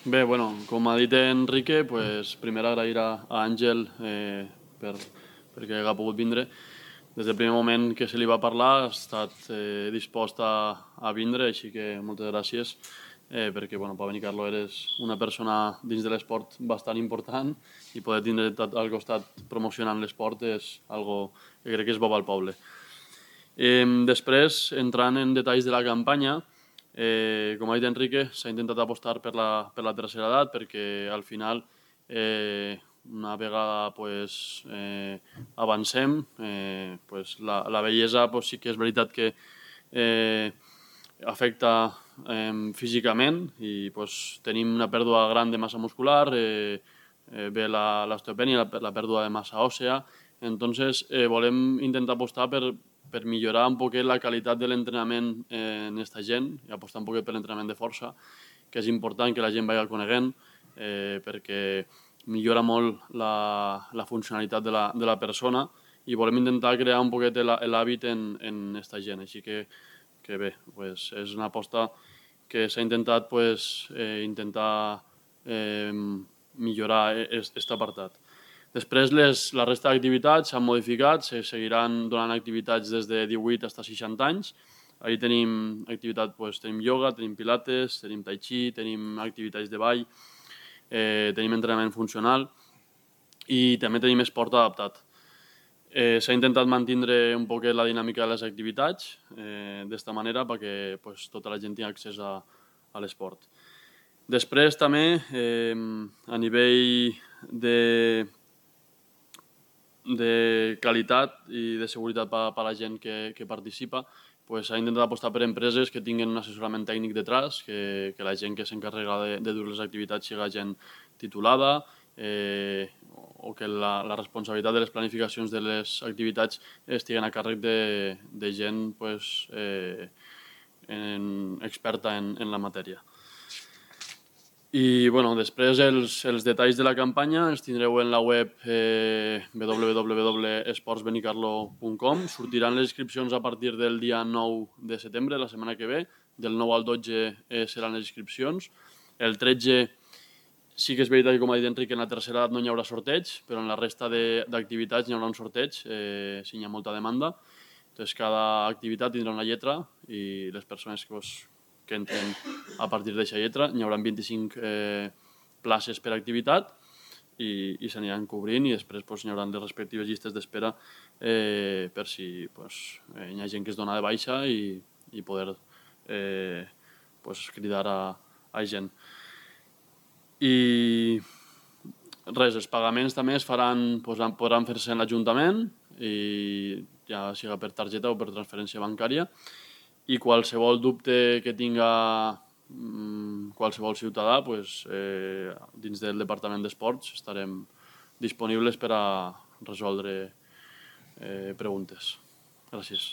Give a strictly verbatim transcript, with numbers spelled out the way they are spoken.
Bé, bueno, com ha dit Enrique, pues, primer agrair a, a Àngel eh, per, perquè ha pogut vindre. Des del primer moment que se li va parlar ha estat eh, dispost a, a vindre, així que moltes gràcies, eh, perquè bueno, Pau Benicarló eres una persona dins de l'esport bastant important i poder tindre al costat promocionant l'esport és algo que crec que és bo al poble. Eh, després, entrant en detalls de la campanya, eh, com ha dit Enrique, s'ha intentat apostar per la, per la tercera edat perquè al final, eh, una vegada pues, eh, avancem, eh, pues, la, la bellesa pues, sí que és veritat que eh, afecta eh, físicament i pues, tenim una pèrdua gran de massa muscular, eh, eh, ve l'osteopènia, la, la pèrdua de massa òssea. Entonces, eh, volem intentar apostar per, per millorar un poquet la qualitat de l'entrenament eh, en aquesta gent i apostar un poquet per l'entrenament de força, que és important que la gent vagi coneguent eh, perquè millora molt la, la funcionalitat de la, de la persona i volem intentar crear un poquet l'hàbit en, en aquesta gent. Així que, que bé, pues, és una aposta que s'ha intentat pues, eh, intentar eh, millorar aquest apartat. Després, les, la resta d'activitats s'han modificat, se seguiran donant activitats des de divuit fins a seixanta anys. Ahí tenim activitat, pues, tenim ioga, tenim pilates, tenim tai chi, tenim activitats de ball, eh, tenim entrenament funcional i també tenim esport adaptat. Eh, S'ha intentat mantenir un poquet la dinàmica de les activitats eh, d'esta manera perquè pues, tota la gent tingui accés a, a l'esport. Després també, eh, a nivell de, de qualitat i de seguretat per a la gent que, que participa, pues, s'ha intentat apostar per empreses que tinguin un assessorament tècnic detrás, que, que la gent que s'encarrega de, de dur les activitats sigui gent titulada, eh, o que la, la responsabilitat de les planificacions de les activitats estiguen a càrrec de, de gent pues, eh, en, experta en, en la matèria. I bueno, després els, els detalls de la campanya els tindreu en la web eh, w w w punt esports benicarló punt com. Sortiran les inscripcions a partir del dia nou de setembre, la setmana que ve. Del nou al dotze eh, seran les inscripcions. El tretze sí que és veritat que, com ha dit Enric, en la tercera edat no hi haurà sorteig, però en la resta d'activitats hi haurà un sorteig eh, si hi ha molta demanda. Entonces, cada activitat tindrà una lletra i les persones que, pues, que entren a partir d'aquesta lletra, n'hi haurà vint-i-cinc eh, places per activitat i, i s'aniran cobrint i després pues, n'hi haurà les respectives llistes d'espera eh, per si pues, eh, hi ha gent que es dona de baixa i, i poder eh, pues, cridar a, a gent. I res, els pagaments també es faran, pues, podran fer-se en l'Ajuntament, i ja siga per targeta o per transferència bancària, i qualsevol dubte que tinga mmm, qualsevol ciutadà, pues, eh, dins del Departament d'Esports estarem disponibles per a resoldre eh, preguntes. Gràcies.